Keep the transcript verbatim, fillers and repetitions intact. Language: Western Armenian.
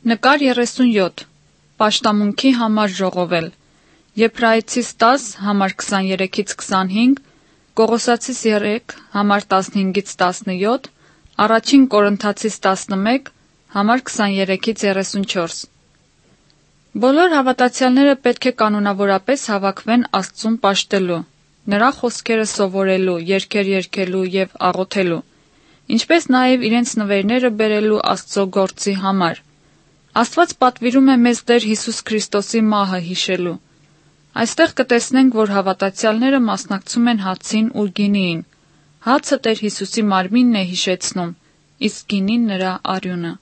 Նկար երեսունյոթ։ Պաշտամունքի համար ժողովել։ Եբրայեցիս տաս, համար քսաներեքից քսանհինգ, Կողոսացիս երեք, համար տասնհինգից տասնեթ, Առաջին Կորնթացիս տասնմէկ, համար քսաներեքից երեսունչորս։ Բոլոր հաւատացեալները պէտք է կանոնաւորապէս հաւաքուեն Աստծուն պաշտելու, նրա խօսքերը սովորելու, երգեր երգելու եւ աղօթելու, ինչպէս նաեւ իրենց նուէրները բերելու Աստծոյ գործի համար։ Աստուած պատուիրում է մեզ Տէր Յիսուս Քրիստոսի մահը յիշելու։ Այստեղ կը տեսնենք, որ հաւատացեալները մասնակցում են հացին ու գինիին։ Հացը Տէր Յիսուսի մարմինն է յիշեցնում, իսկ գինին նրա արիւնը։